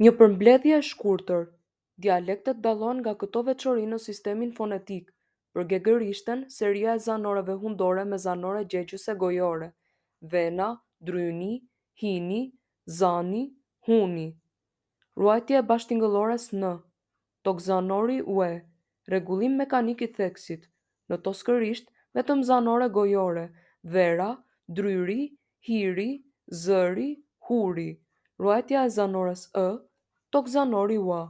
Një përmbledhje e shkurtër. Dialektet dallohen nga këto veçori në sistemin fonetik. Për gegërishten, seria e zanoreve hundore me zanore gjegjëse gojore: vena, dryni, hini, zani, huni. Ruajtje e bashkëtingëllores n. Tokëzanori ue. Rregullim mekanik i theksit. Në toskërisht, vetëm zanore gojore: vera, dryri, hiri, zëri, huri. Ruajtja e zanores ë, tokëzanori ua.